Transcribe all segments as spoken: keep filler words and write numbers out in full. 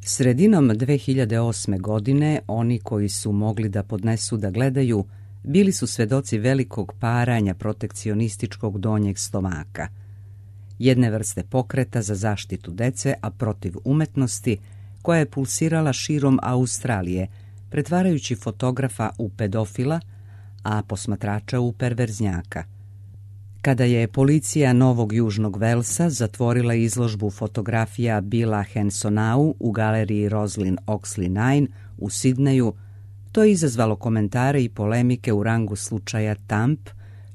Sredinom dve hiljade osme. godine oni koji su mogli da podnesu da gledaju bili su svedoci velikog paranja protekcionističkog donjeg stomaka, jedne vrste pokreta za zaštitu dece, a protiv umetnosti, koja je pulsirala širom Australije, pretvarajući fotografa u pedofila, a posmatrača u perverznjaka. Kada je policija Novog Južnog Velsa zatvorila izložbu fotografija Billa Hansonau u galeriji Roslin Oxley devet u Sidneju, to je izazvalo komentare i polemike u rangu slučaja Tamp,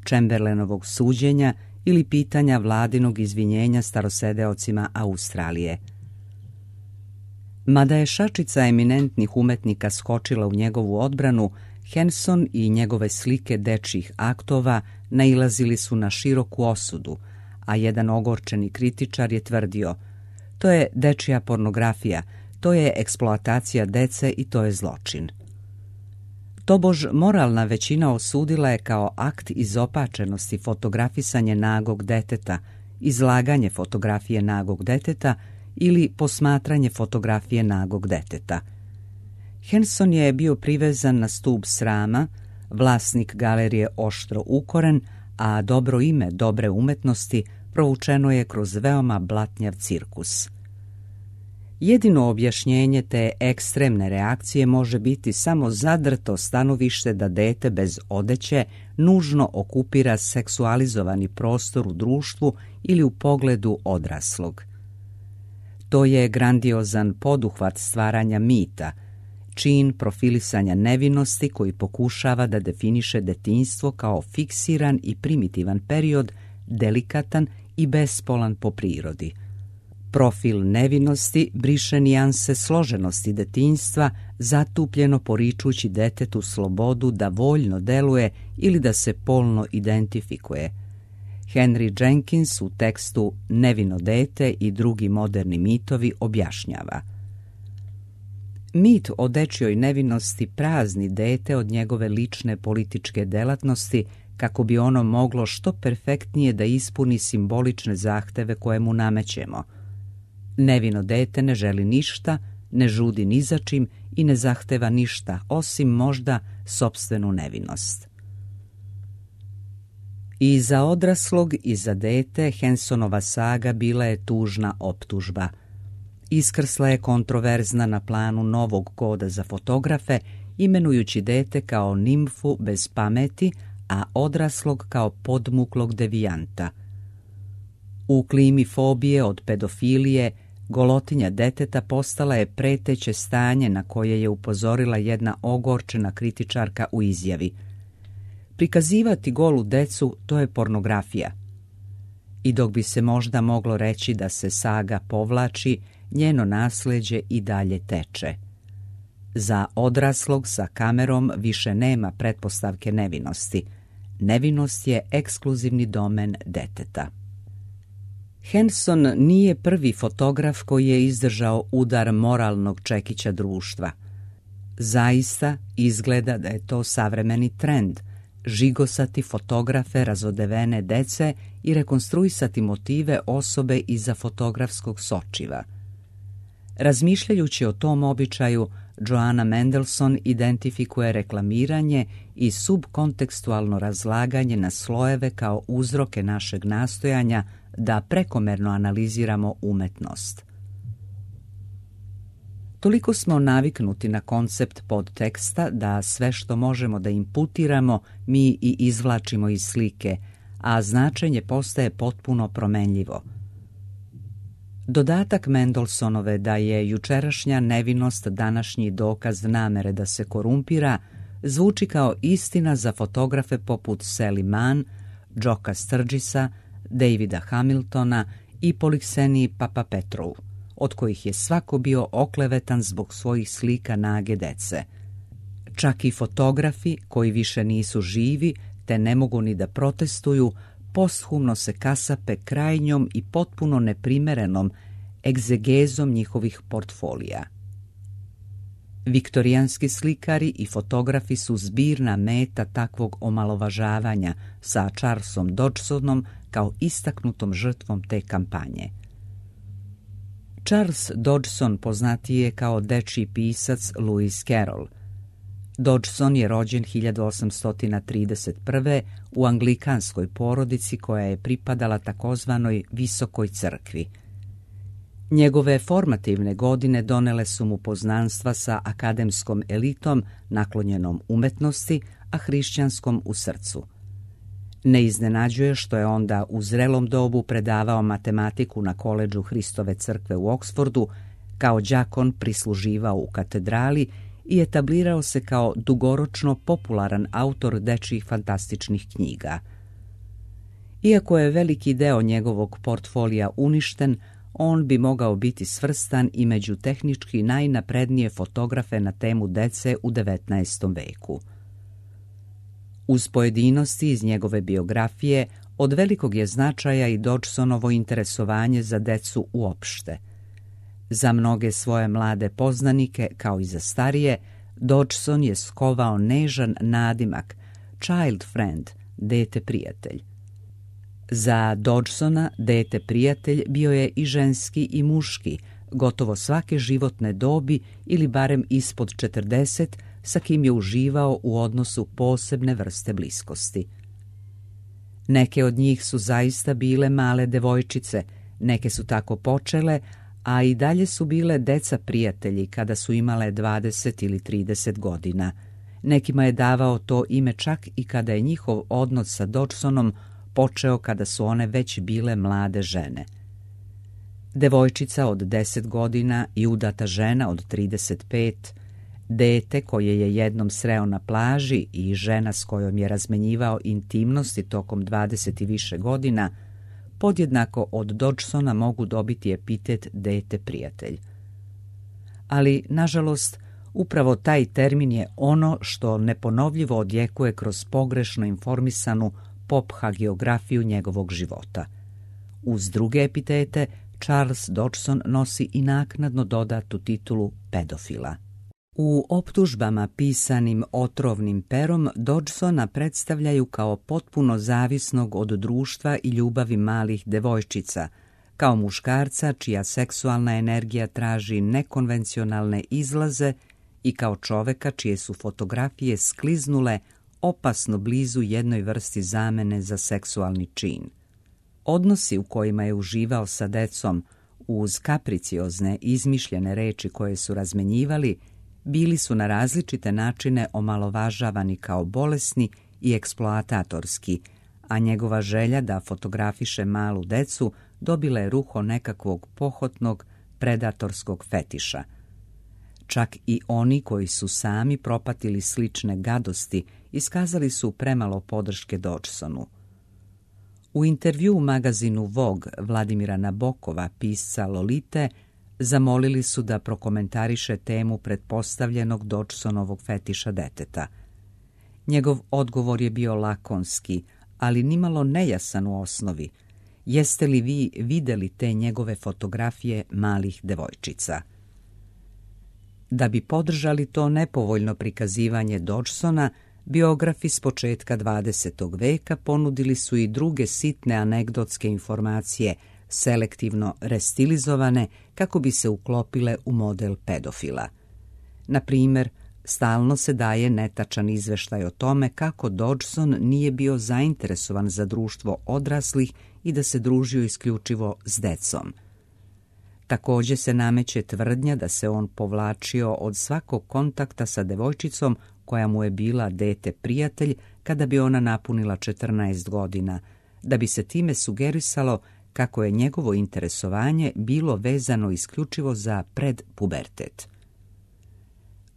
Chamberlainovog suđenja ili pitanja vladinog izvinjenja starosedeocima Australije. Mada je šačica eminentnih umetnika skočila u njegovu odbranu, Hanson i njegove slike dečjih aktova nailazili su na široku osudu, a jedan ogorčeni kritičar je tvrdio: to je dečja pornografija, to je eksploatacija dece i to je zločin. Tobož moralna većina osudila je kao akt izopačenosti fotografisanje nagog deteta, izlaganje fotografije nagog deteta ili posmatranje fotografije nagog deteta. Hanson je bio privezan na stup srama, vlasnik galerije oštro ukoren, a dobro ime dobre umetnosti provučeno je kroz veoma blatnjav cirkus. Jedino objašnjenje te ekstremne reakcije može biti samo zadrto stanovište da dete bez odeće nužno okupira seksualizovani prostor u društvu ili u pogledu odraslog. To je grandiozan poduhvat stvaranja mita, čin profilisanja nevinosti koji pokušava da definiše detinjstvo kao fiksiran i primitivan period, delikatan i bespolan po prirodi. Profil nevinosti briše nijanse složenosti detinjstva, zatupljeno poričući detetu slobodu da voljno deluje ili da se polno identifikuje. Henry Jenkins u tekstu Nevino dete i drugi moderni mitovi objašnjava: mit o dečjoj nevinosti prazni dete od njegove lične političke delatnosti kako bi ono moglo što perfektnije da ispuni simbolične zahteve koje mu namećemo. Nevino dete ne želi ništa, ne žudi ni za čim i ne zahteva ništa, osim možda sopstvenu nevinost. I za odraslog i za dete Hansonova saga bila je tužna optužba. Iskrsla je kontroverzna na planu novog koda za fotografe, imenujući dete kao nimfu bez pameti, a odraslog kao podmuklog devijanta. U klimi fobije od pedofilije, golotinja deteta postala je preteće stanje na koje je upozorila jedna ogorčena kritičarka u izjavi: prikazivati golu decu, to je pornografija. I dok bi se možda moglo reći da se saga povlači, njeno nasleđe i dalje teče. Za odraslog sa kamerom više nema pretpostavke nevinosti. Nevinost je ekskluzivni domen deteta. Hanson nije prvi fotograf koji je izdržao udar moralnog čekića društva. Zaista izgleda da je to savremeni trend, žigosati fotografe razodevene dece i rekonstruisati motive osobe iza fotografskog sočiva. Razmišljajući o tom običaju, Joanna Mendelson identifikuje reklamiranje i subkontekstualno razlaganje na slojeve kao uzroke našeg nastojanja da prekomerno analiziramo umetnost. Toliko smo naviknuti na koncept podteksta da sve što možemo da imputiramo mi i izvlačimo iz slike, a značenje postaje potpuno promenljivo. Dodatak Mendelsonove da je jučerašnja nevinost današnji dokaz namere da se korumpira zvuči kao istina za fotografe poput Sally Mann, Joka Sturgisa, Davida Hamiltona i Polixeni Papapetrou, od kojih je svako bio oklevetan zbog svojih slika nage dece. Čak i fotografi koji više nisu živi te ne mogu ni da protestuju, posthumno se kasape krajnjom i potpuno neprimerenom egzegezom njihovih portfolija. Viktorijanski slikari i fotografi su zbirna meta takvog omalovažavanja sa Charlesom Dodgsonom kao istaknutom žrtvom te kampanje. Charles Dodgson poznatiji je kao dečiji pisac Lewis Carroll. Dodgson je rođen hiljadu osamsto trideset prve. u anglikanskoj porodici koja je pripadala takozvanoj visokoj crkvi. Njegove formativne godine donele su mu poznanstva sa akademskom elitom naklonjenom umetnosti, a hrišćanskom u srcu. Ne iznenađuje što je onda u zrelom dobu predavao matematiku na koledžu Hristove crkve u Oksfordu, kao đakon prisluživao u katedrali i etablirao se kao dugoročno popularan autor dečjih fantastičnih knjiga. Iako je veliki deo njegovog portfolija uništen, on bi mogao biti svrstan i među tehnički najnaprednije fotografe na temu dece u devetnaestom veku. Uz pojedinosti iz njegove biografije, od velikog je značaja i Dodgsonovo interesovanje za decu uopšte. Za mnoge svoje mlade poznanike, kao i za starije, Dodgson je skovao nežan nadimak child friend, dete prijatelj. Za Dodgsona dete prijatelj bio je i ženski i muški, gotovo svake životne dobi ili barem ispod četrdeset, sa kim je uživao u odnosu posebne vrste bliskosti. Neke od njih su zaista bile male devojčice, neke su tako počele, a i dalje su bile deca prijatelji kada su imale dvadeset ili trideset godina. Nekima je davao to ime čak i kada je njihov odnos sa Dodgsonom počeo kada su one već bile mlade žene. Devojčica od deset godina i udata žena od trideset pet, dete koje je jednom sreo na plaži i žena s kojom je razmenjivao intimnosti tokom dvadeset i više godina, podjednako od Dodgsona mogu dobiti epitet dete prijatelj. Ali, nažalost, upravo taj termin je ono što neponovljivo odjekuje kroz pogrešno informisanu pop hagiografiju njegovog života. Uz druge epitete, Charles Dodgson nosi i naknadno dodatu titulu pedofila. U optužbama pisanim otrovnim perom Dodgsona predstavljaju kao potpuno zavisnog od društva i ljubavi malih devojčica, kao muškarca čija seksualna energija traži nekonvencionalne izlaze i kao čoveka čije su fotografije skliznule opasno blizu jednoj vrsti zamene za seksualni čin. Odnosi u kojima je uživao sa decom, uz kapriciozne izmišljene reči koje su razmenjivali, bili su na različite načine omalovažavani kao bolesni i eksploatatorski, a njegova želja da fotografiše malu decu dobila je ruho nekakvog pohotnog predatorskog fetiša. Čak i oni koji su sami propatili slične gadosti iskazali su premalo podrške Dodgsonu. U intervju u magazinu Vogue Vladimira Nabokova, pisca Lolite, zamolili su da prokomentariše temu pretpostavljenog Dodgsonovog fetiša deteta. Njegov odgovor je bio lakonski, ali nimalo nejasan u osnovi. Jeste li vi videli te njegove fotografije malih devojčica? Da bi podržali to nepovoljno prikazivanje Dodgsona, biografi s početka dvadesetog veka ponudili su i druge sitne anegdotske informacije, selektivno restilizovane kako bi se uklopile u model pedofila. Na primjer, stalno se daje netačan izveštaj o tome kako Dodgson nije bio zainteresovan za društvo odraslih i da se družio isključivo s decom. Također se nameće tvrdnja da se on povlačio od svakog kontakta sa devojčicom koja mu je bila dete prijatelj kada bi ona napunila četrnaest godina, da bi se time sugerisalo kako je njegovo interesovanje bilo vezano isključivo za predpubertet.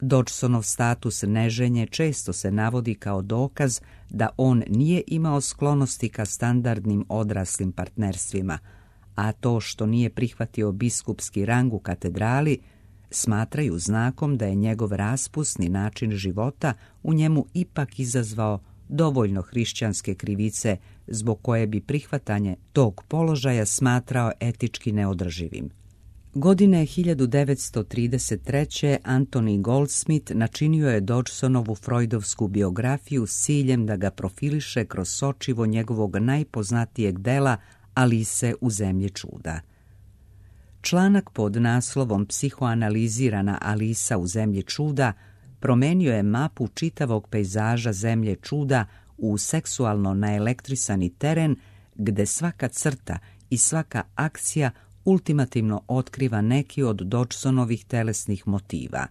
Dodgsonov status neženje često se navodi kao dokaz da on nije imao sklonosti ka standardnim odraslim partnerstvima, a to što nije prihvatio biskupski rang u katedrali smatraju znakom da je njegov raspusni način života u njemu ipak izazvao dovoljno hrišćanske krivice zbog koje bi prihvatanje tog položaja smatrao etički neodrživim. Godine hiljadu devetsto trideset treće. Anthony Goldsmith načinio je Dodgsonovu freudovsku biografiju s ciljem da ga profiliše kroz sočivo njegovog najpoznatijeg dela Alice u zemlji čuda. Članak pod naslovom Psihoanalizirana Alisa u zemlji čuda promenio je mapu čitavog pejzaža zemlje čuda u seksualno naelektrisani teren gde svaka crta i svaka akcija ultimativno otkriva neki od Dodgsonovih telesnih motiva.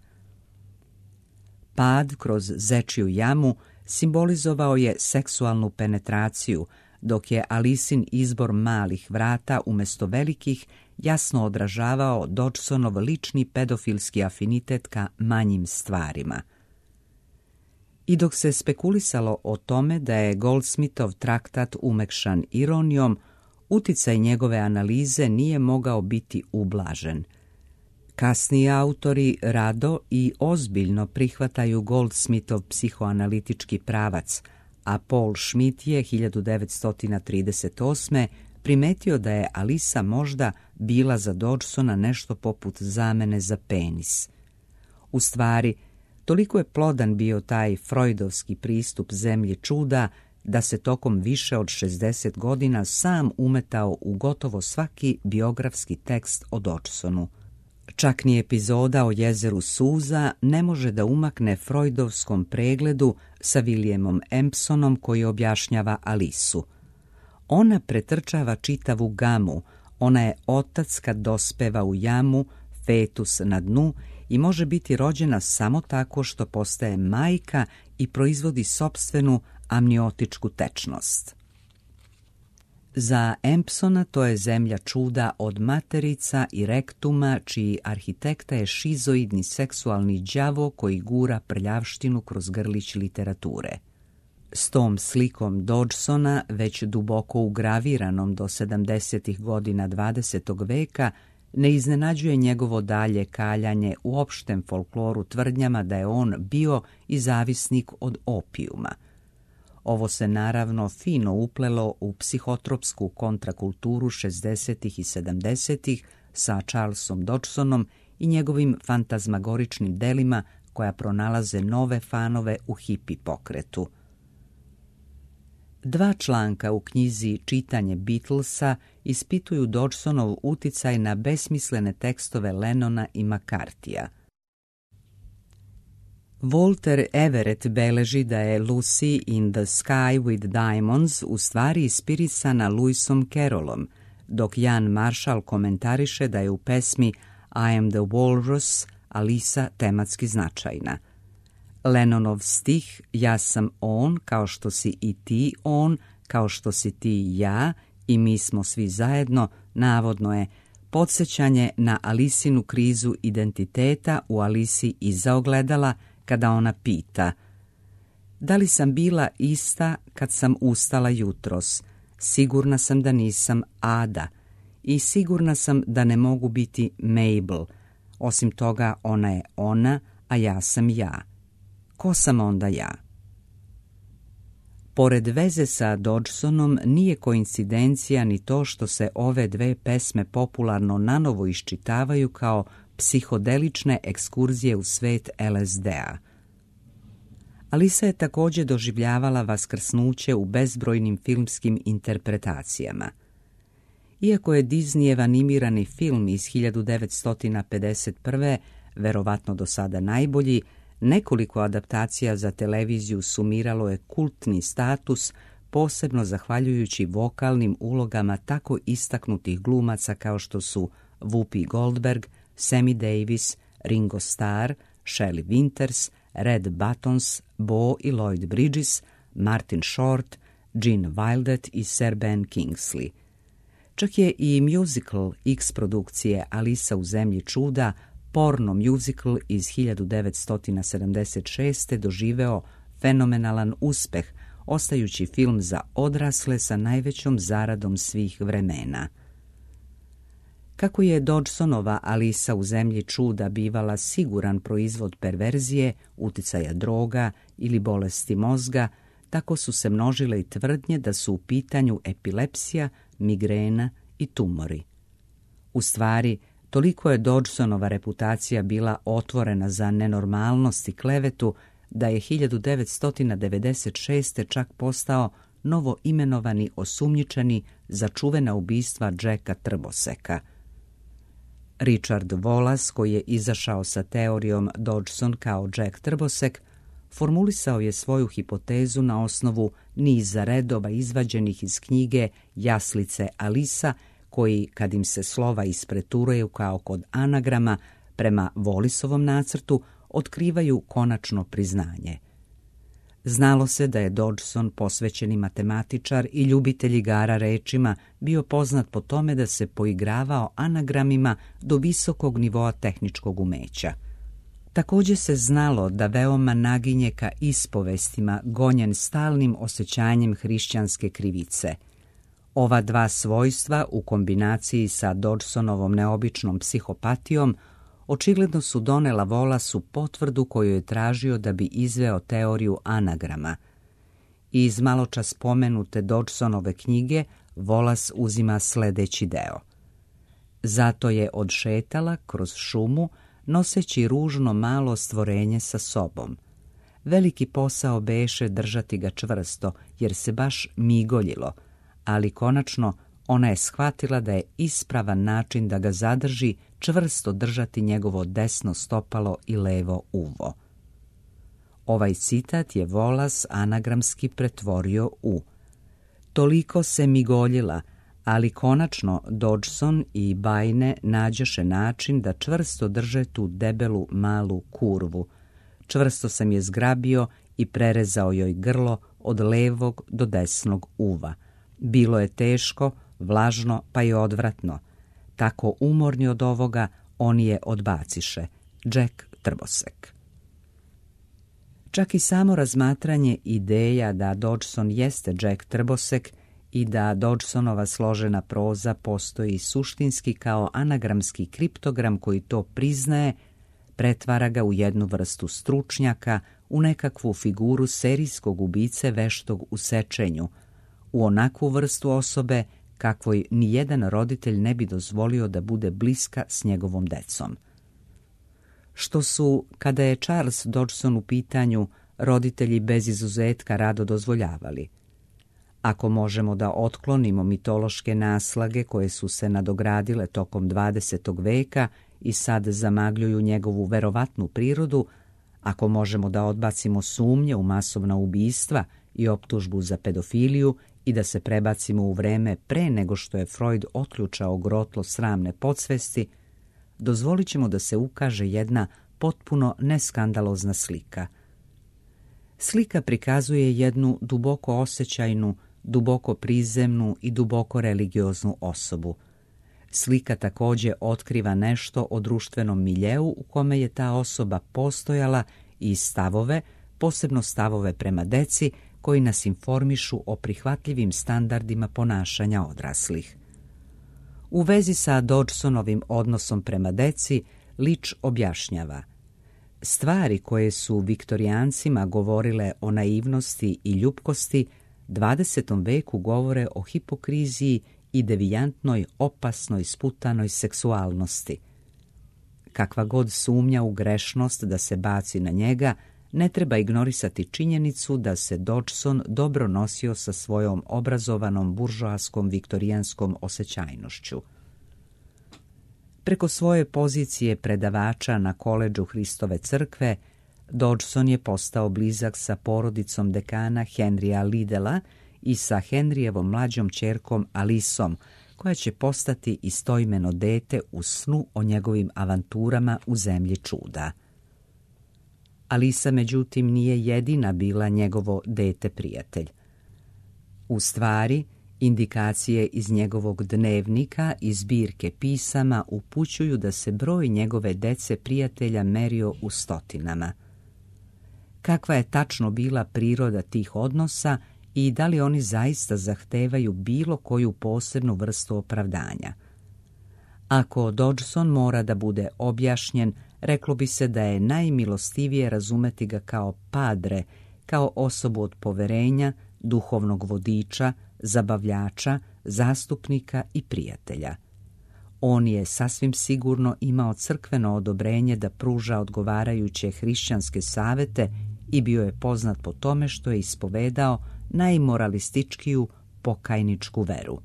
Pad kroz zečiju jamu simbolizovao je seksualnu penetraciju, dok je Alisin izbor malih vrata umjesto velikih jasno odražavao Dodgsonov lični pedofilski afinitet ka manjim stvarima. I dok se spekulisalo o tome da je Goldsmithov traktat umekšan ironijom, uticaj njegove analize nije mogao biti ublažen. Kasniji autori rado i ozbiljno prihvataju Goldsmithov psihoanalitički pravac, a Paul Schmidt je hiljadu devetsto trideset osme primetio da je Alisa možda bila za Dodgsona nešto poput zamene za penis. U stvari, toliko je plodan bio taj freudovski pristup zemlji čuda da se tokom više od šezdeset godina sam umetao u gotovo svaki biografski tekst o Dodgsonu. Čak ni epizoda o jezeru suza ne može da umakne freudovskom pregledu sa Williamom Empsonom koji objašnjava Alisu. Ona pretrčava čitavu gamu, ona je otac kad dospeva u jamu, fetus na dnu i može biti rođena samo tako što postaje majka i proizvodi sopstvenu amniotičku tečnost. Za Empsona to je zemlja čuda od materica i rektuma, čiji arhitekta je šizoidni seksualni đavo koji gura prljavštinu kroz grlić literature. S tom slikom Dodgsona, već duboko ugraviranom do sedamdesetih godina dvadesetog veka, ne iznenađuje njegovo dalje kaljanje u opštem folkloru tvrdnjama da je on bio i zavisnik od opijuma. Ovo se naravno fino uplelo u psihotropsku kontrakulturu šezdesetih i sedamdesetih sa Charlesom Dodgsonom i njegovim fantazmagoričnim delima koja pronalaze nove fanove u hipi pokretu. Dva članka u knjizi Čitanje Beatlesa ispituju Dodgsonov uticaj na besmislene tekstove Lennona i McCarthyja. Walter Everett beleži da je Lucy in the Sky with Diamonds u stvari inspirisana Lewisom Carrollom, dok Jan Marshall komentariše da je u pesmi I am the Walrus Alisa tematski značajna. Lennonov stih Ja sam on, kao što si i ti on, kao što si ti ja i mi smo svi zajedno, navodno je podsjećanje na Alisinu krizu identiteta u Alisi iza ogledala, kada ona pita: da li sam bila ista kad sam ustala jutros? Sigurna sam da nisam Ada i sigurna sam da ne mogu biti Mabel. Osim toga, ona je ona, a ja sam ja. Ko sam onda ja? Pored veze sa Dodgsonom nije koincidencija ni to što se ove dve pesme popularno nanovo iščitavaju kao psihodelične ekskurzije u svet L S D-a. Alisa je također doživljavala vaskrsnuće u bezbrojnim filmskim interpretacijama. Iako je Disneyev animirani film iz hiljadu devetsto pedeset prve verovatno do sada najbolji, nekoliko adaptacija za televiziju sumiralo je kultni status, posebno zahvaljujući vokalnim ulogama tako istaknutih glumaca kao što su Whoopi Goldberg, Sammy Davis, Ringo Starr, Shelley Winters, Red Buttons, Bo i Lloyd Bridges, Martin Short, Gene Wilder i Sir Ben Kingsley. Čak je i musical X produkcije Alisa u zemlji čuda, porno musical iz hiljadu devetsto sedamdeset šeste doživeo fenomenalan uspeh, ostajući film za odrasle sa najvećom zaradom svih vremena. Kako je Dodgsonova Alisa u zemlji čuda bivala siguran proizvod perverzije, uticaja droga ili bolesti mozga, tako su se množile i tvrdnje da su u pitanju epilepsija, migrena i tumori. U stvari, toliko je Dodgsonova reputacija bila otvorena za nenormalnost i klevetu da je hiljadu devetsto devedeset šeste čak postao novo imenovani osumnjičeni za čuvena ubistva Jacka Trboseka. Richard Wallace, koji je izašao sa teorijom Dodgson kao Jack Trbosek, formulisao je svoju hipotezu na osnovu niza redova izvađenih iz knjige Jaslice Alisa, koji, kad im se slova ispreturuju kao kod anagrama, prema Wallisovom nacrtu, otkrivaju konačno priznanje. Znalo se da je Dodgson, posvećeni matematičar i ljubitelj igara rečima, bio poznat po tome da se poigravao anagramima do visokog nivoa tehničkog umeća. Također se znalo da veoma naginje ka ispovestima, gonjen stalnim osjećanjem hrišćanske krivice. Ova dva svojstva u kombinaciji sa Dodgsonovom neobičnom psihopatijom očigledno su donela Wallace potvrdu koju je tražio da bi izveo teoriju anagrama. Iz maločas spomenute Dodgsonove knjige Wallace uzima sljedeći deo. Zato je odšetala kroz šumu, noseći ružno malo stvorenje sa sobom. Veliki posao beše držati ga čvrsto, jer se baš migoljilo, ali konačno ona je shvatila da je ispravan način da ga zadrži čvrsto držati njegovo desno stopalo i levo uvo. Ovaj citat je Wallace anagramski pretvorio u: toliko se migoljila, ali konačno Dodgson i Bajne nađoše način da čvrsto drže tu debelu malu kurvu. Čvrsto sam je zgrabio i prerezao joj grlo od levog do desnog uva. Bilo je teško, vlažno pa i odvratno. Tako umorni od ovoga, oni je odbaciše. Jack Trbosek. Čak i samo razmatranje ideja da Dodgson jeste Jack Trbosek i da Dodgsonova složena proza postoji suštinski kao anagramski kriptogram koji to priznaje, pretvara ga u jednu vrstu stručnjaka, u nekakvu figuru serijskog ubice veštog u sečenju, u onakvu vrstu osobe kakvoj nijedan roditelj ne bi dozvolio da bude bliska s njegovom decom. Što su, kada je Charles Dodgson u pitanju, roditelji bez izuzetka rado dozvoljavali. Ako možemo da otklonimo mitološke naslage koje su se nadogradile tokom dvadesetog veka i sad zamagljuju njegovu verovatnu prirodu, ako možemo da odbacimo sumnje u masovna ubistva i optužbu za pedofiliju i da se prebacimo u vreme pre nego što je Freud otključao grotlo sramne podsvesti, dozvolit ćemo da se ukaže jedna potpuno neskandalozna slika. Slika prikazuje jednu duboko osjećajnu, duboko prizemnu i duboko religioznu osobu. Slika također otkriva nešto o društvenom miljeu u kome je ta osoba postojala i stavove, posebno stavove prema deci, koji nas informišu o prihvatljivim standardima ponašanja odraslih. U vezi sa Dodgsonovim odnosom prema deci, Leach objašnjava: stvari koje su viktorijancima govorile o naivnosti i ljupkosti, dvadesetom veku govore o hipokriziji i devijantnoj, opasnoj, sputanoj seksualnosti. Kakva god sumnja u grešnost da se baci na njega, ne treba ignorisati činjenicu da se Dodgson dobro nosio sa svojom obrazovanom buržoaskom viktorijanskom osjećajnošću. Preko svoje pozicije predavača na koledžu Hristove crkve, Dodgson je postao blizak sa porodicom dekana Henrya Liddella i sa Henrijevom mlađom ćerkom Alisom, koja će postati istoimeno dete u snu o njegovim avanturama u zemlji čuda. Alisa, međutim, nije jedina bila njegovo dete prijatelj. U stvari, indikacije iz njegovog dnevnika i zbirke pisama upućuju da se broj njegove dece prijatelja merio u stotinama. Kakva je tačno bila priroda tih odnosa i da li oni zaista zahtevaju bilo koju posebnu vrstu opravdanja? Ako Dodgson mora da bude objašnjen, reklo bi se da je najmilostivije razumeti ga kao padre, kao osobu od poverenja, duhovnog vodiča, zabavljača, zastupnika i prijatelja. On je sasvim sigurno imao crkveno odobrenje da pruža odgovarajuće hrišćanske savete i bio je poznat po tome što je ispovedao najmoralističkiju pokajničku veru.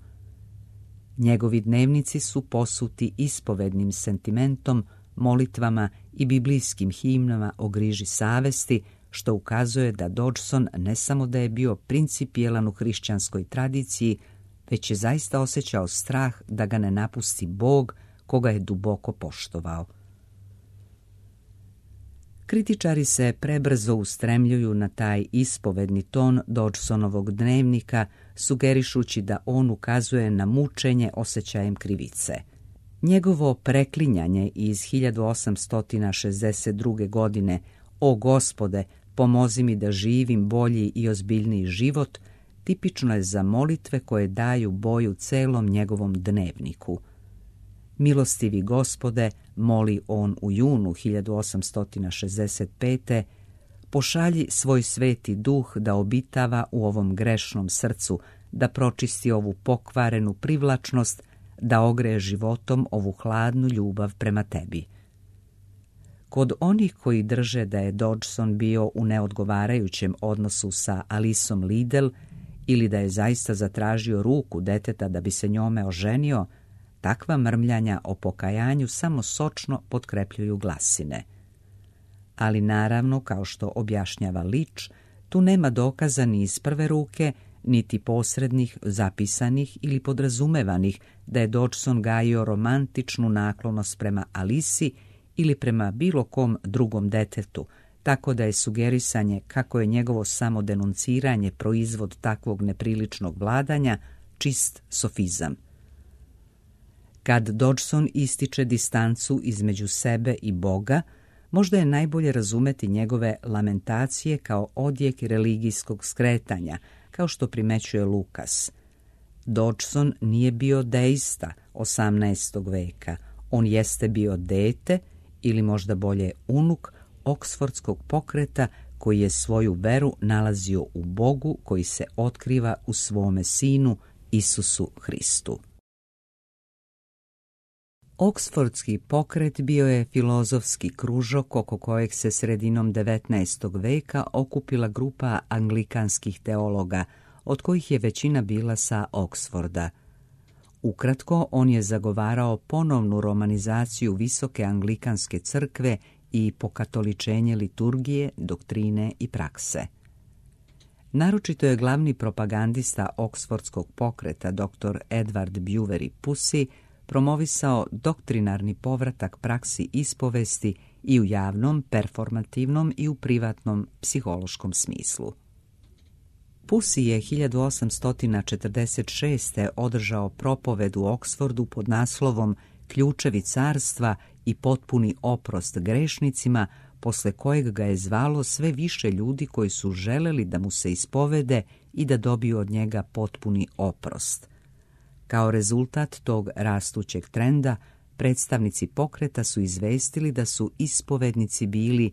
Njegovi dnevnici su posuti ispovednim sentimentom, molitvama i biblijskim himnama o griži savesti, što ukazuje da Dodgson ne samo da je bio principijelan u hrišćanskoj tradiciji, već je zaista osjećao strah da ga ne napusti Bog koga je duboko poštovao. Kritičari se prebrzo ustremljuju na taj ispovedni ton Dodgsonovog dnevnika, sugerišući da on ukazuje na mučenje osjećajem krivice. Njegovo preklinjanje iz hiljadu osamsto šezdeset druge. godine "O Gospode, pomozi mi da živim bolji i ozbiljniji život" tipično je za molitve koje daju boju celom njegovom dnevniku. "Milostivi Gospode", moli on u junu hiljadu osamsto šezdeset pete. "Pošalji svoj sveti duh da obitava u ovom grešnom srcu, da pročisti ovu pokvarenu privlačnost, da ogreje životom ovu hladnu ljubav prema tebi." Kod onih koji drže da je Dodgson bio u neodgovarajućem odnosu sa Alicom Liddell ili da je zaista zatražio ruku deteta da bi se njome oženio, takva mrmljanja o pokajanju samo sočno potkrepljuju glasine. Ali naravno, kao što objašnjava Leach, tu nema dokaza ni iz prve ruke, niti posrednih, zapisanih ili podrazumevanih da je Dodgson gajio romantičnu naklonost prema Alici ili prema bilo kom drugom detetu, tako da je sugerisanje kako je njegovo samodenunciranje proizvod takvog nepriličnog vladanja čist sofizam. Kad Dodgson ističe distancu između sebe i Boga, možda je najbolje razumeti njegove lamentacije kao odjek religijskog skretanja, kao što primećuje Lukas. Dodgson nije bio deista osamnaestog veka, on jeste bio dete, ili možda bolje unuk, oksfordskog pokreta koji je svoju veru nalazio u Bogu koji se otkriva u svome sinu Isusu Hristu. Oksfordski pokret bio je filozofski kružok oko kojeg se sredinom devetnaestog veka okupila grupa anglikanskih teologa, od kojih je većina bila sa Oksforda. Ukratko, on je zagovarao ponovnu romanizaciju visoke anglikanske crkve i pokatoličenje liturgije, doktrine i prakse. Naročito je glavni propagandista oksfordskog pokreta dr. Edward Buveri Pusey promovisao doktrinarni povratak praksi ispovesti i u javnom, performativnom i u privatnom psihološkom smislu. Pusey je hiljadu osamsto četrdeset šeste. održao propoved u Oksfordu pod naslovom "Ključevi carstva i potpuni oprost grešnicima", posle kojeg ga je zvalo sve više ljudi koji su želeli da mu se ispovede i da dobiju od njega potpuni oprost. Kao rezultat tog rastućeg trenda, predstavnici pokreta su izvestili da su ispovednici bili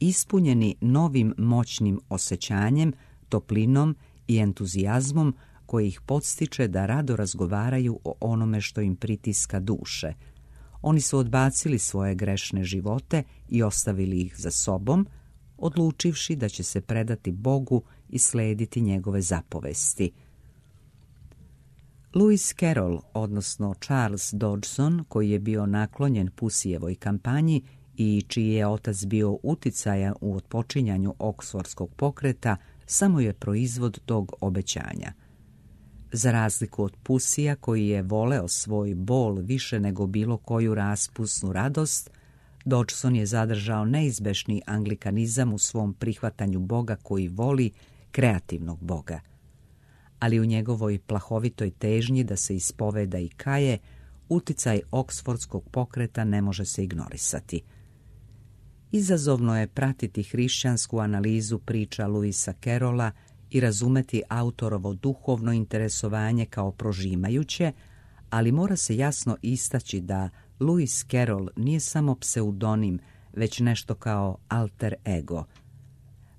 ispunjeni novim moćnim osjećanjem, toplinom i entuzijazmom koji ih podstiče da rado razgovaraju o onome što im pritiska duše. Oni su odbacili svoje grešne živote i ostavili ih za sobom, odlučivši da će se predati Bogu i slediti njegove zapovesti. Lewis Carroll, odnosno Charles Dodgson, koji je bio naklonjen Puseyjevoj kampanji i čiji je otac bio uticajan u otpočinjanju oksfordskog pokreta, samo je proizvod tog obećanja. Za razliku od Puseyja, koji je voleo svoj bol više nego bilo koju raspusnu radost, Dodgson je zadržao neizbešni anglikanizam u svom prihvatanju Boga koji voli, kreativnog Boga. Ali u njegovoj plahovitoj težnji da se ispoveda i kaje, uticaj oksfordskog pokreta ne može se ignorisati. Izazovno je pratiti hrišćansku analizu priča Lewisa Carrolla i razumeti autorovo duhovno interesovanje kao prožimajuće, ali mora se jasno istaći da Lewis Carroll nije samo pseudonim, već nešto kao alter ego.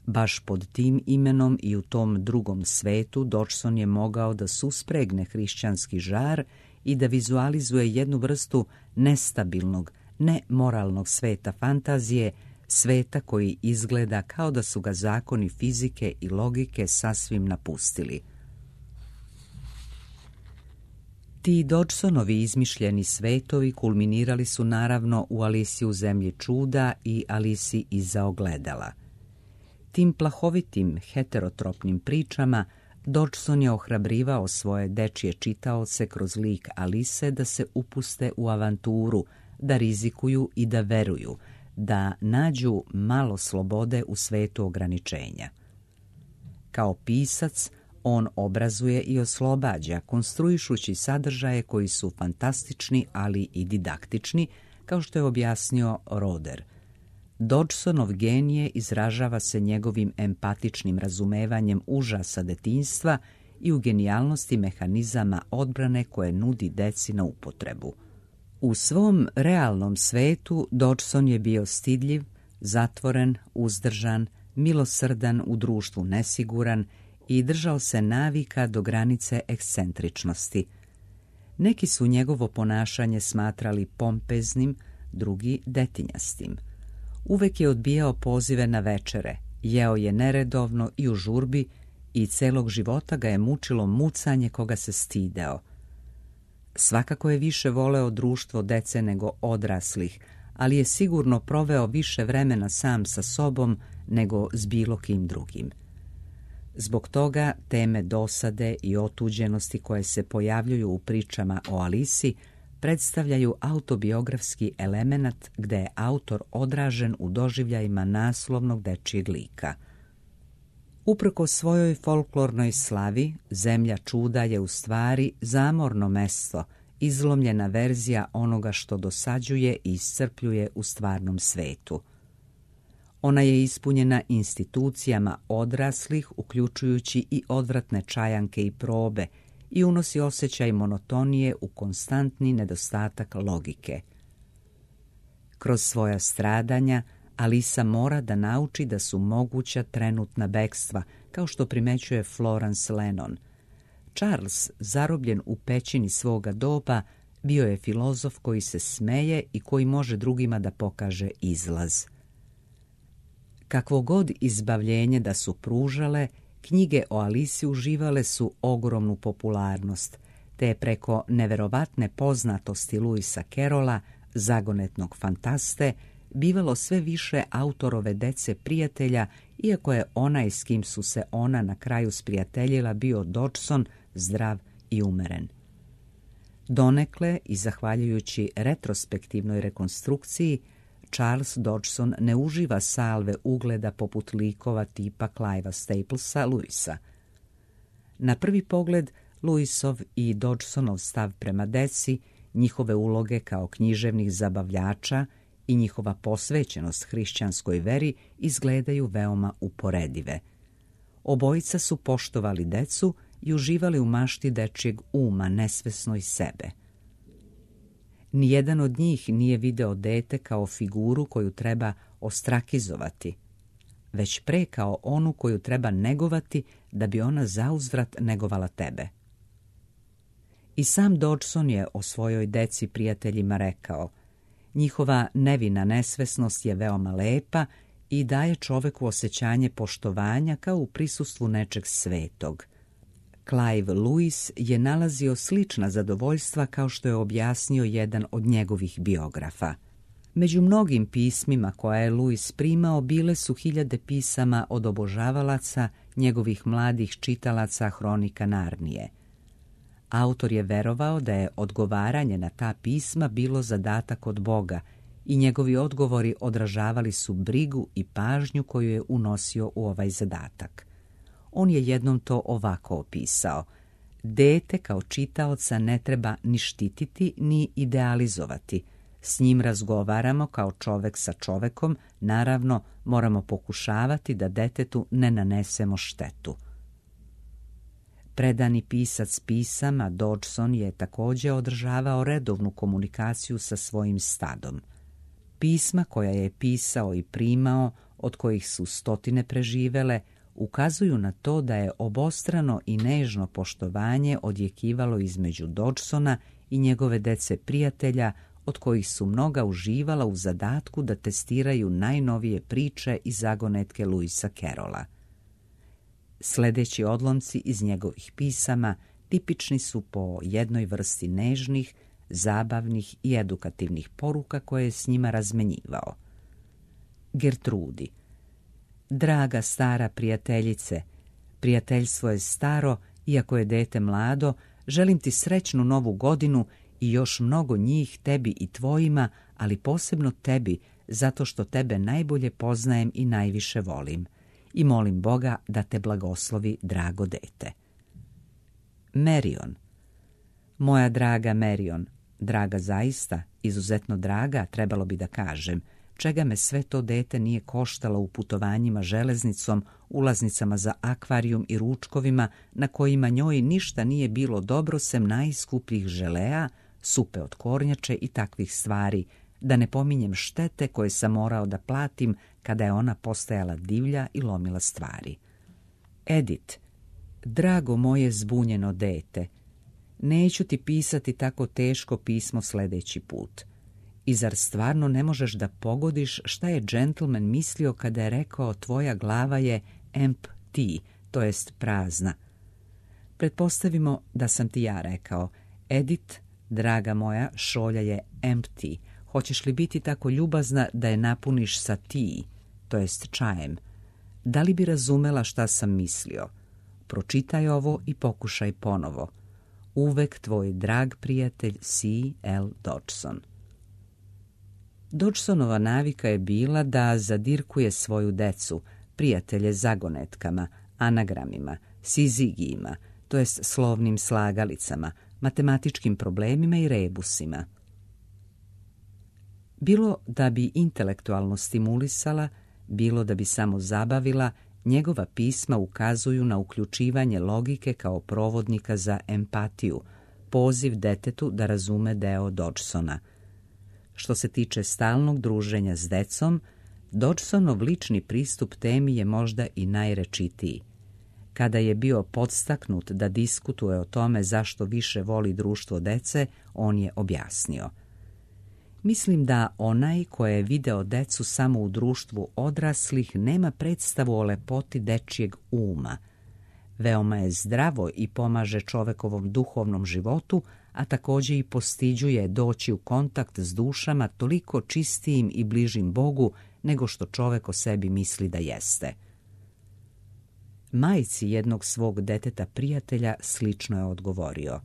Baš pod tim imenom i u tom drugom svetu Dodgson je mogao da suspregne hrišćanski žar i da vizualizuje jednu vrstu nestabilnog, nemoralnog sveta fantazije, sveta koji izgleda kao da su ga zakoni fizike i logike sasvim napustili. Ti Dodgsonovi izmišljeni svetovi kulminirali su naravno u Alisi u zemlji čuda i Alisi iza ogledala. Tim plahovitim heterotropnim pričama Dodgson je ohrabrivao svoje dečije čitaoce kroz lik Alise da se upuste u avanturu, da rizikuju i da veruju, da nađu malo slobode u svetu ograničenja. Kao pisac, on obrazuje i oslobađa, konstruišući sadržaje koji su fantastični, ali i didaktični, kao što je objasnio Roder. Dodgsonov genije izražava se njegovim empatičnim razumevanjem užasa detinjstva i u genijalnosti mehanizama odbrane koje nudi deci na upotrebu. U svom realnom svetu Dodgson je bio stidljiv, zatvoren, uzdržan, milosrdan, u društvu nesiguran i držao se navika do granice ekscentričnosti. Neki su njegovo ponašanje smatrali pompeznim, drugi detinjastim. Uvek je odbijao pozive na večere, jeo je neredovno i u žurbi i celog života ga je mučilo mucanje koga se stideo. Svakako je više voleo društvo dece nego odraslih, ali je sigurno proveo više vremena sam sa sobom nego s bilo kim drugim. Zbog toga teme dosade i otuđenosti koje se pojavljuju u pričama o Alisi predstavljaju autobiografski elemenat gde je autor odražen u doživljajima naslovnog dečijeg lika. Uprkos svojoj folklornoj slavi, zemlja čuda je u stvari zamorno mesto, izlomljena verzija onoga što dosađuje i iscrpljuje u stvarnom svetu. Ona je ispunjena institucijama odraslih, uključujući i odvratne čajanke i probe, i unosi osjećaj monotonije u konstantni nedostatak logike. Kroz svoja stradanja Alisa mora da nauči da su moguća trenutna bekstva, kao što primećuje Florence Lennon. Charles, zarobljen u pećini svoga doba, bio je filozof koji se smeje i koji može drugima da pokaže izlaz. Kakvo god izbavljenje da su pružale, knjige o Alisi uživale su ogromnu popularnost, te je preko neverovatne poznatosti Lewisa Carrolla, zagonetnog fantaste, bivalo sve više autorove dece prijatelja, iako je onaj s kim su se ona na kraju sprijateljila bio Dodgson, zdrav i umeren. Donekle, i zahvaljujući retrospektivnoj rekonstrukciji, Charles Dodgson ne uživa salve ugleda poput likova tipa Clivea Staplesa, Lewisa. Na prvi pogled, Lewisov i Dodgsonov stav prema deci, njihove uloge kao književnih zabavljača i njihova posvećenost hrišćanskoj veri izgledaju veoma uporedive. Obojica su poštovali decu i uživali u mašti dečijeg uma, nesvesno i sebe. Nijedan od njih nije video dete kao figuru koju treba ostrakizovati, već pre kao onu koju treba negovati da bi ona zauzvrat negovala tebe. I sam Dodgson je o svojoj deci prijateljima rekao: njihova nevina nesvesnost je veoma lepa i daje čoveku osjećanje poštovanja kao u prisustvu nečeg svetog. Clive Lewis je nalazio slična zadovoljstva, kao što je objasnio jedan od njegovih biografa. Među mnogim pismima koja je Lewis primao bile su hiljade pisama od obožavalaca, njegovih mladih čitalaca Hronika Narnije. Autor je verovao da je odgovaranje na ta pisma bilo zadatak od Boga i njegovi odgovori odražavali su brigu i pažnju koju je unosio u ovaj zadatak. On je jednom to ovako opisao: dete kao čitaoca ne treba ni štititi ni idealizovati. S njim razgovaramo kao čovek sa čovekom, naravno moramo pokušavati da detetu ne nanesemo štetu. Predani pisac pisama, Dodgson je također održavao redovnu komunikaciju sa svojim stadom. Pisma koja je pisao i primao, od kojih su stotine preživele, ukazuju na to da je obostrano i nežno poštovanje odjekivalo između Dodgsona i njegove dece prijatelja, od kojih su mnoga uživala u zadatku da testiraju najnovije priče i zagonetke Lewisa Carrolla. Sledeći odlomci iz njegovih pisama tipični su po jednoj vrsti nežnih, zabavnih i edukativnih poruka koje je s njima razmenjivao. Gertrudi: draga stara prijateljice, prijateljstvo je staro, iako je dete mlado, želim ti srećnu novu godinu i još mnogo njih tebi i tvojima, ali posebno tebi, zato što tebe najbolje poznajem i najviše volim. I molim Boga da te blagoslovi, drago dete. Marion: moja draga Marion, draga zaista, izuzetno draga, trebalo bi da kažem, čega me sve to dete nije koštalo u putovanjima železnicom, ulaznicama za akvarijum i ručkovima na kojima njoj ništa nije bilo dobro sem najskupljih želea, supe od kornjače i takvih stvari, da ne pominjem štete koje sam morao da platim kada je ona postajala divlja i lomila stvari. Edith: drago moje zbunjeno dete, neću ti pisati tako teško pismo sljedeći put. I zar stvarno ne možeš da pogodiš šta je džentlmen mislio kada je rekao tvoja glava je empty, to jest prazna? Pretpostavimo da sam ti ja rekao: Edith, draga moja, šolja je empty. Hoćeš li biti tako ljubazna da je napuniš sa tea, to jest čajem? Da li bi razumela šta sam mislio? Pročitaj ovo i pokušaj ponovo. Uvek tvoj drag prijatelj C L Dodgson. Dodgsonova navika je bila da zadirkuje svoju decu, prijatelje zagonetkama, anagramima, sizigijima, to jest slovnim slagalicama, matematičkim problemima i rebusima. Bilo da bi intelektualno stimulisala, bilo da bi samo zabavila, njegova pisma ukazuju na uključivanje logike kao provodnika za empatiju, poziv detetu da razume deo Dodgsona. Što se tiče stalnog druženja s decom, Dodgsonov lični pristup temi je možda i najrečitiji. Kada je bio podstaknut da diskutuje o tome zašto više voli društvo dece, on je objasnio: mislim da onaj ko je video decu samo u društvu odraslih nema predstavu o lepoti dečijeg uma. Veoma je zdravo i pomaže čovekovom duhovnom životu, a također i postiđuje doći u kontakt s dušama toliko čistijim i bližim Bogu nego što čovek o sebi misli da jeste. Majci jednog svog deteta prijatelja slično je odgovorio: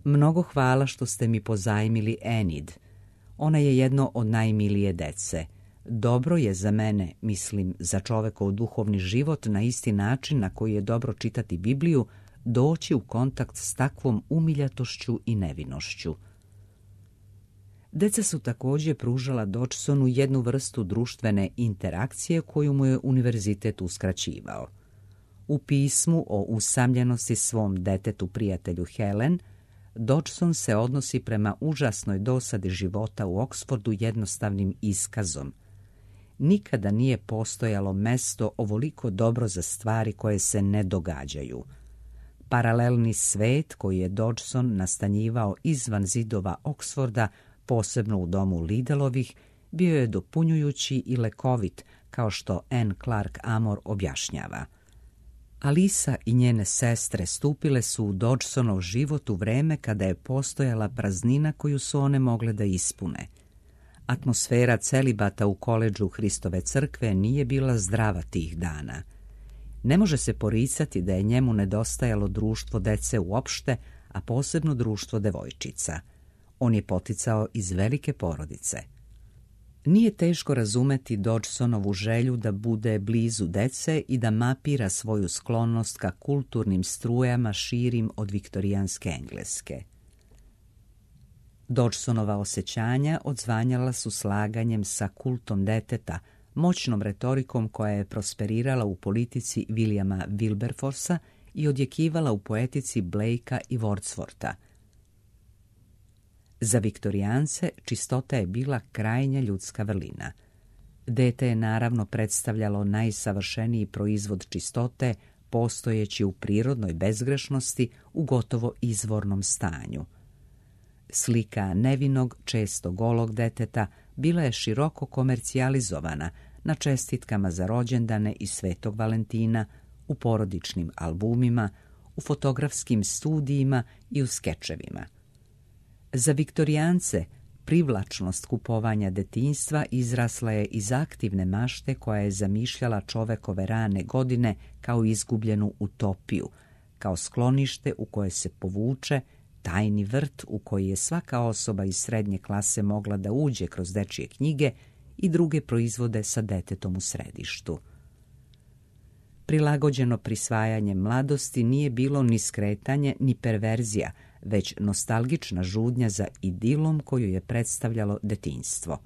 mnogo hvala što ste mi pozajmili Enid. Ona je jedno od najmilije dece. Dobro je za mene, mislim za čovekov duhovni život, na isti način na koji je dobro čitati Bibliju, doći u kontakt s takvom umiljatošću i nevinošću. Deca su također pružala Dodgsonu jednu vrstu društvene interakcije koju mu je univerzitet uskraćivao. U pismu o usamljenosti svom detetu prijatelju Helen, Dodgson se odnosi prema užasnoj dosadi života u Oksfordu jednostavnim iskazom. Nikada nije postojalo mesto ovoliko dobro za stvari koje se ne događaju. Paralelni svet koji je Dodgson nastanjivao izvan zidova Oksforda, posebno u domu Lidelovih, bio je dopunjujući i lekovit, kao što Anne Clark Amor objašnjava. Alisa i njene sestre stupile su u Dodgsonov život u vreme kada je postojala praznina koju su one mogle da ispune. Atmosfera celibata u koledžu Hristove crkve nije bila zdrava tih dana. Ne može se poricati da je njemu nedostajalo društvo dece uopšte, a posebno društvo devojčica. On je poticao iz velike porodice. Nije teško razumeti Dodgsonovu želju da bude blizu dece i da mapira svoju sklonost ka kulturnim strujama širim od viktorijanske Engleske. Dodgsonova osjećanja odzvanjala su slaganjem sa kultom deteta, moćnom retorikom koja je prosperirala u politici Williama Wilberforcea i odjekivala u poetici Blakea i Wordswortha. Za viktorijance čistota je bila krajnja ljudska vrlina. Dete je naravno predstavljalo najsavršeniji proizvod čistote, postojeći u prirodnoj bezgrešnosti u gotovo izvornom stanju. Slika nevinog, često golog deteta bila je široko komercijalizovana na čestitkama za rođendane i Svetog Valentina, u porodičnim albumima, u fotografskim studijima i u skečevima. Za viktorijance privlačnost kupovanja detinjstva izrasla je iz aktivne mašte koja je zamišljala čovekove rane godine kao izgubljenu utopiju, kao sklonište u koje se povuče, tajni vrt u koji je svaka osoba iz srednje klase mogla da uđe kroz dečije knjige i druge proizvode sa detetom u središtu. Prilagođeno prisvajanje mladosti nije bilo ni skretanje ni perverzija, već nostalgična žudnja za idilom koju je predstavljalo detinjstvo.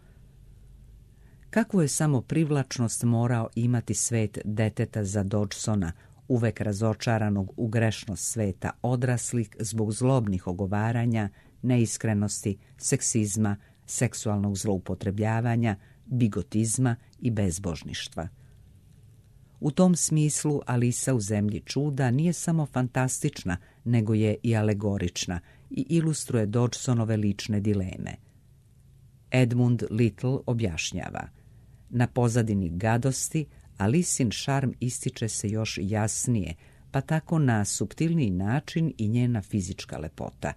Kakvu je samo privlačnost morao imati svet deteta za Dodgsona, uvek razočaranog u grešnost sveta odraslih zbog zlobnih ogovaranja, neiskrenosti, seksizma, seksualnog zloupotrebljavanja, bigotizma i bezbožništva. U tom smislu Alisa u zemlji čuda nije samo fantastična, nego je i alegorična i ilustruje Dodgsonove lične dileme. Edmund Little objašnjava: na pozadini gadosti Alisin šarm ističe se još jasnije, pa tako na suptilniji način i njena fizička lepota.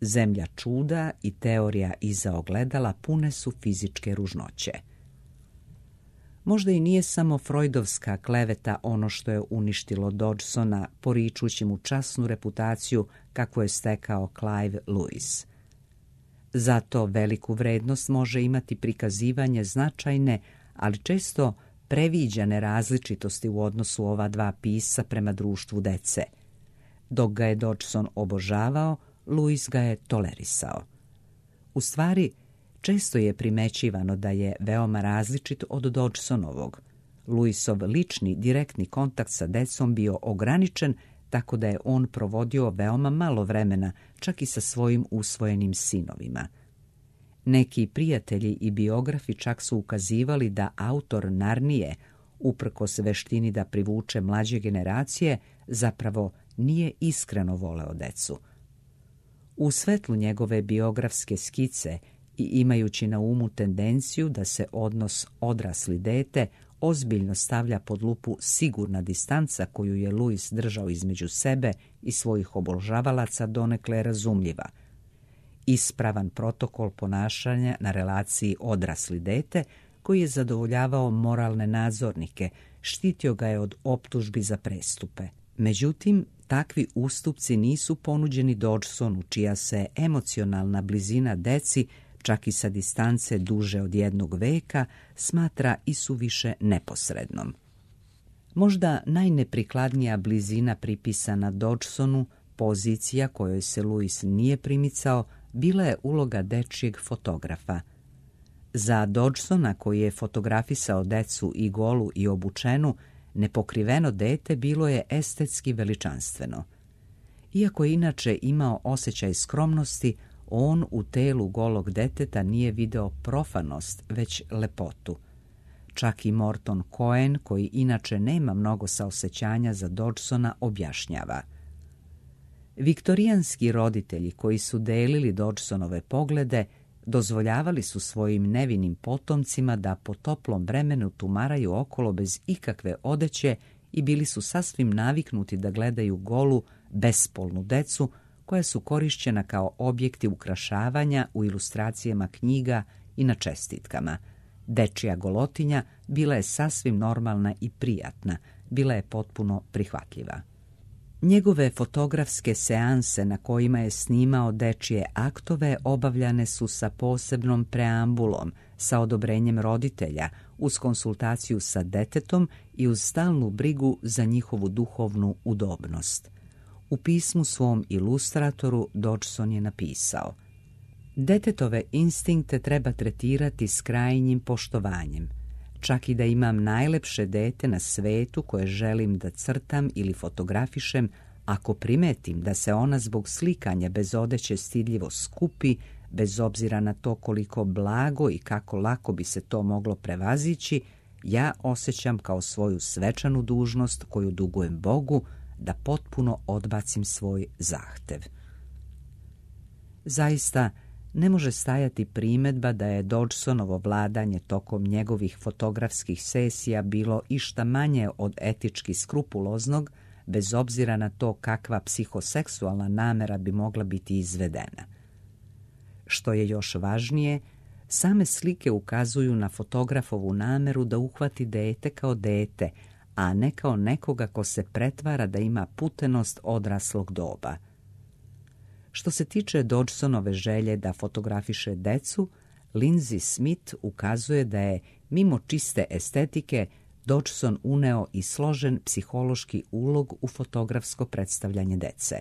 Zemlja čuda i teorija iza ogledala pune su fizičke ružnoće. Možda i nije samo Freudovska kleveta ono što je uništilo Dodgsona, poričući mu časnu reputaciju kako je stekao Clive Lewis. Zato veliku vrednost može imati prikazivanje značajne, ali često previđane različitosti u odnosu ova dva pisca prema društvu dece. Dok ga je Dodgson obožavao, Lewis ga je tolerisao. U stvari, često je primećivano da je veoma različit od Dodgsonovog. Lewisov lični, direktni kontakt sa decom bio ograničen, tako da je on provodio veoma malo vremena, čak i sa svojim usvojenim sinovima. Neki prijatelji i biografi čak su ukazivali da autor Narnije, uprkos veštini da privuče mlađe generacije, zapravo nije iskreno voleo decu. U svetlu njegove biografske skice i imajući na umu tendenciju da se odnos odrasli-dete ozbiljno stavlja pod lupu sigurna distanca koju je Lewis držao između sebe i svojih obožavalaca, donekle razumljiva. Ispravan protokol ponašanja na relaciji odrasli-dete koji je zadovoljavao moralne nadzornike, štitio ga je od optužbi za prestupe. Međutim, takvi ustupci nisu ponuđeni Dodgsonu, čija se emocionalna blizina deci, čak i sa distance duže od jednog veka, smatra i suviše neposrednom. Možda najneprikladnija blizina pripisana Dodgsonu, pozicija kojoj se Lewis nije primicao, bila je uloga dečijeg fotografa. Za Dodgsona, koji je fotografisao decu i golu i obučenu, nepokriveno dete bilo je estetski veličanstveno. Iako je inače imao osjećaj skromnosti, on u telu golog deteta nije video profanost, već lepotu. Čak i Morton Cohen, koji inače nema mnogo saosećanja za Dodgsona, objašnjava: viktorijanski roditelji koji su delili Dodgsonove poglede dozvoljavali su svojim nevinim potomcima da po toplom vremenu tumaraju okolo bez ikakve odeće i bili su sasvim naviknuti da gledaju golu, bespolnu decu koja su korišćena kao objekti ukrašavanja u ilustracijama knjiga i na čestitkama. Dečija golotinja bila je sasvim normalna i prijatna, bila je potpuno prihvatljiva. Njegove fotografske seanse na kojima je snimao dečije aktove obavljane su sa posebnom preambulom, sa odobrenjem roditelja, uz konsultaciju sa detetom i uz stalnu brigu za njihovu duhovnu udobnost. U pismu svom ilustratoru Dodgson je napisao: detetove instinkte treba tretirati s krajnjim poštovanjem. Čak i da imam najlepše dete na svetu koje želim da crtam ili fotografišem, ako primetim da se ona zbog slikanja bez odeće stidljivo skupi, bez obzira na to koliko blago i kako lako bi se to moglo prevazići, ja osjećam kao svoju svečanu dužnost koju dugujem Bogu da potpuno odbacim svoj zahtev. Zaista, ne može stajati primedba da je Dodgsonovo vladanje tokom njegovih fotografskih sesija bilo išta manje od etički skrupuloznog, bez obzira na to kakva psihoseksualna namera bi mogla biti izvedena. Što je još važnije, same slike ukazuju na fotografovu nameru da uhvati dete kao dete, a ne kao nekoga ko se pretvara da ima putenost odraslog doba. Što se tiče Dodgsonove želje da fotografiše decu, Lindsay Smith ukazuje da je, mimo čiste estetike, Dodgson uneo i složen psihološki ulog u fotografsko predstavljanje dece.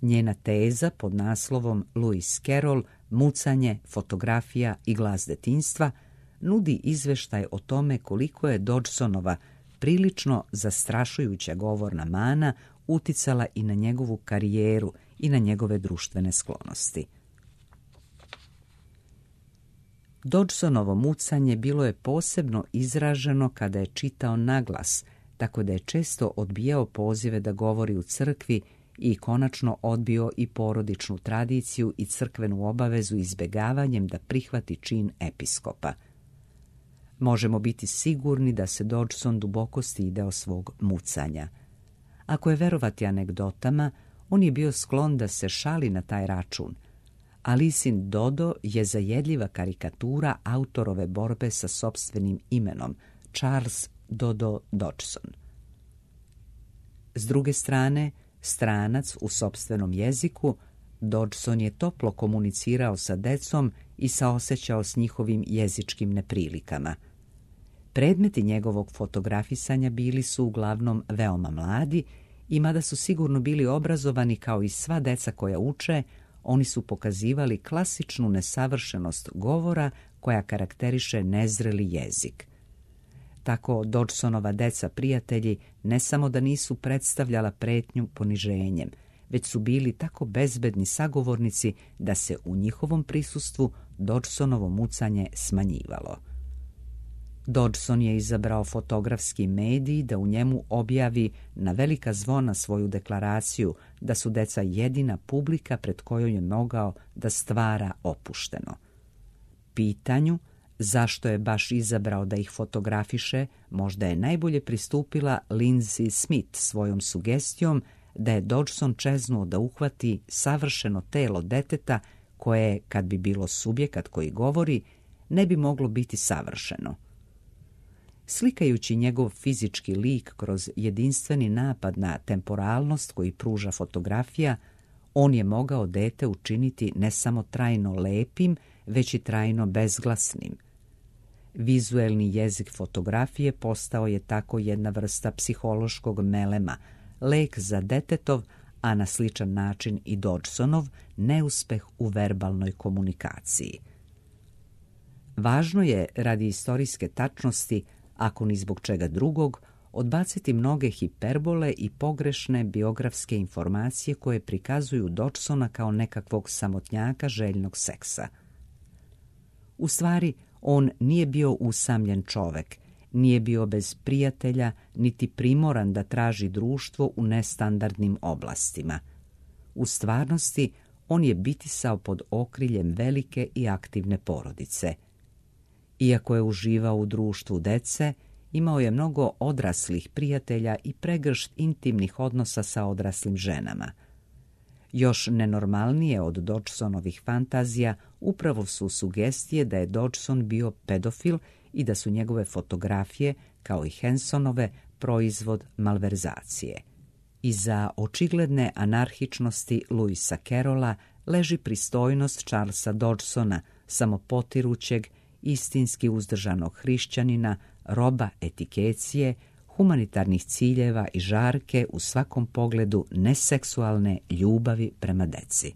Njena teza pod naslovom Lewis Carroll, mucanje, fotografija i glas detinjstva nudi izveštaj o tome koliko je Dodgsonova prilično zastrašujuća govorna mana uticala i na njegovu karijeru i na njegove društvene sklonosti. Dodgsonovo mucanje bilo je posebno izraženo kada je čitao naglas, tako da je često odbijao pozive da govori u crkvi i konačno odbio i porodičnu tradiciju i crkvenu obavezu izbegavanjem da prihvati čin episkopa. Možemo biti sigurni da se Dodgson duboko stideo svog mucanja. Ako je verovati anegdotama, on je bio sklon da se šali na taj račun. Alisin Dodo je zajedljiva karikatura autorove borbe sa sopstvenim imenom, Charles Dodo Dodgson. S druge strane, stranac u sopstvenom jeziku, Dodgson je toplo komunicirao sa decom i saosećao s njihovim jezičkim neprilikama. Predmeti njegovog fotografisanja bili su uglavnom veoma mladi i mada su sigurno bili obrazovani kao i sva deca koja uče, oni su pokazivali klasičnu nesavršenost govora koja karakteriše nezreli jezik. Tako Dodgsonova deca prijatelji ne samo da nisu predstavljala pretnju poniženjem, već su bili tako bezbedni sagovornici da se u njihovom prisustvu Dodgsonovo mucanje smanjivalo. Dodgson je izabrao fotografski medij da u njemu objavi na velika zvona svoju deklaraciju da su deca jedina publika pred kojom je mogao da stvara opušteno. Pitanju zašto je baš izabrao da ih fotografiše, možda je najbolje pristupila Lindsay Smith svojom sugestijom da je Dodgson čeznuo da uhvati savršeno telo deteta koje, kad bi bilo subjekat koji govori, ne bi moglo biti savršeno. Slikajući njegov fizički lik kroz jedinstveni napad na temporalnost koji pruža fotografija, on je mogao dete učiniti ne samo trajno lepim, već i trajno bezglasnim. Vizuelni jezik fotografije postao je tako jedna vrsta psihološkog melema, lek za detetov, a na sličan način i Dodgsonov, neuspeh u verbalnoj komunikaciji. Važno je, radi istorijske tačnosti, ako ni zbog čega drugog, odbaciti mnoge hiperbole i pogrešne biografske informacije koje prikazuju Dodgsona kao nekakvog samotnjaka željnog seksa. U stvari, on nije bio usamljen čovek, nije bio bez prijatelja, niti primoran da traži društvo u nestandardnim oblastima. U stvarnosti, on je bitisao pod okriljem velike i aktivne porodice. Iako je uživao u društvu dece, imao je mnogo odraslih prijatelja i pregršt intimnih odnosa sa odraslim ženama. Još nenormalnije od Dodgsonovih fantazija upravo su sugestije da je Dodgson bio pedofil i da su njegove fotografije, kao i Hensonove, proizvod malverzacije. Iza očigledne anarhičnosti Lewisa Carrolla leži pristojnost Charlesa Dodgsona, samopotirućeg, istinski uzdržanog hrišćanina, roba etikecije, humanitarnih ciljeva i žarke u svakom pogledu neseksualne ljubavi prema deci.